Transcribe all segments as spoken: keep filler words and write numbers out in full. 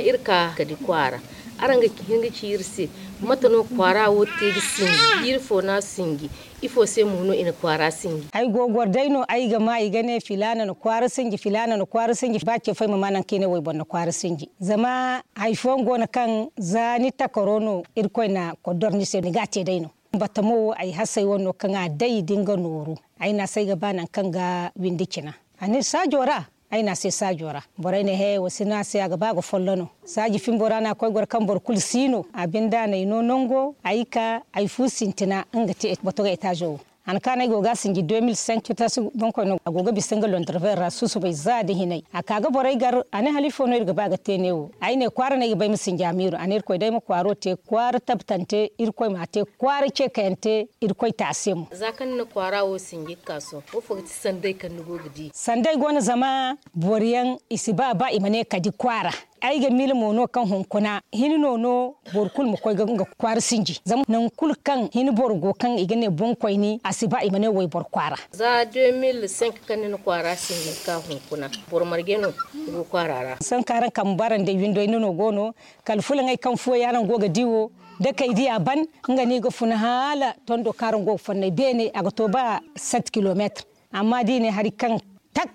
Iri ka ka di kwaara. Araŋ ga hin ga ci iri se, mate no kwaara wo te ga sinji? Jiiri fo no a sinji? Ifo se mo no i na kwaara sinji? Ay go goro day no, ay ga ma i ga ne, filaana na kwaara sinji, filaana na kwaara sinji. Ba ce fo ay ma ma nangu kaŋ i ne wayboro na kwaara sinji. Zama hari fooyaŋ go no kaŋ za ni takaro no, Irkoy na koddor ni se, ni ga a te day no. Batamo wo, ay hasey wo no kaŋ a day da nga nooru. Ay ne a se ay ga ba nangu kaŋ ga windi cina. A ne saajo ra? Ay ne a se saajo ra. Borey ne, he, wa si ne a se, a ga ba ga follo no. Saaji fimbo ra no a koy goro kaŋ boro kulu si no. A binde a n'ay no nango, ay ka, ay fu sintina nga te bato ga etaazo wo. Han kaŋ ay go ga a sinji deux mille cinq, tasi boŋkoy no a go ga bisa nga Londres ra susubay za da hinay. A ka ga borey gar, a ne, hala ifo no iri ga ba ga te neewo? Ay ne, kwaara no ay ga ba ay ma sinji amiiro. A ne, Irkoy day ma kwaaro te kwaara tabbatante, Irkoy m'a te kwaara ce kayante, Irkoy te a se mo. Za kaŋ ni na kwaara wo sinji ga ka sohõ, wo fo ga ti sanday kaŋ ni go ga di? Sanday go no, zama boro yaŋ i si ba, ba i ma ne ka di kwaara. Ay ga miila mo no kaŋ hunkuna hini no, no boro kulu ma koy ga nga kwaara sinji. Zama nangu kulu kaŋ hini boro go kaŋ i ga ne boŋkoyni, a si ba i ma ne wayboro kwaara. Za deux mille cinq kaŋ ni na kwaara sinji ga ka hunkuna, boro marje no go kwaara ra? Sohõ kaŋ araŋ kambe araŋ day windo hinne no go no, kala fulaŋey kaŋ fooyaŋ araŋ go ga di wo, da kay di a ban, nga no i ga funa hala tondo kaŋ araŋ go ga fonnay beene, a ga to ba sept kilomètres. Amma da i ne hari kaŋ tak,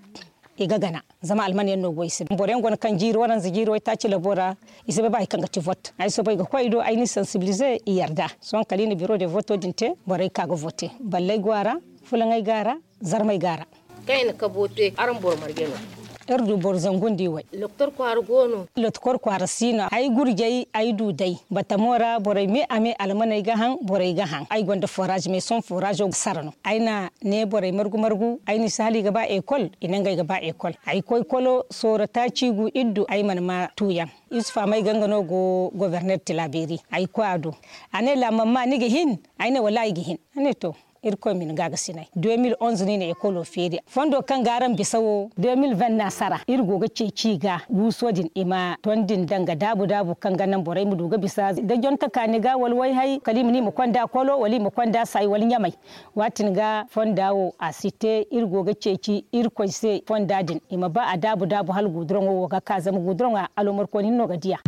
i ga gana, zama alman yaŋ no go i se. Boro yaŋ go no kaŋ jiiri waranza, jiiri waytaaci labo ra, i si bay ba hari kaŋ ga ti vote. Ay soobay ga koy i do, ay n'i sensibiliser, i yarda. Sohõ kala i na bureau de voto din te, borey ka ga voter. Balley go a ra, fulaŋey go a ra, zarmey go a ra. Kaŋ i na kabo te, araŋ boro marje no? Iri du boro zangu nda iway. Loktor kwaara go no? Loktor kwaara si no. Ay gurjay, ay du day. Batamo ra borey me a me, almaney ga haŋ, borey ga haŋ. Ay gonda forage, mais sohõ forazo ga sara no. Ay na ne borey margu-margu, ay n'i si hala i ga ba école, i ne ngey ga ba école. Ay koy kolo sooro taaci gu iddu, ay mana ma tuuyaŋ. Yusufa Mayga nga no go gouverneur Tilaberi. Ay koy a do. A ne, la maman, ni ga hin? Ay ne, wallaahi ay ga hin. A ne, to, Irkoy ma ni gaagasinay. Deux mille onze no i na écolo feeri. Fondo kaŋ ga araŋ bisa wo, deux mille vingt no a sara. Iri go ga ceeci i ga guuso din, i ma tondi nda nga daabu-daabu kaŋ ga naŋ borey ma du ga bisa. Da jonte ka ni ga wala wayhay, kala i ma ne i ma konda kolo, wala i ma konda say, wala ɲamay. Waatin ga fonda wo a si te, iri go ga ceeci Irkoy se fonda din. I ma ba a daabu-daabu hala guduroŋo wo ga ka, zama guduroŋo alomarkooni hinne no ga di a.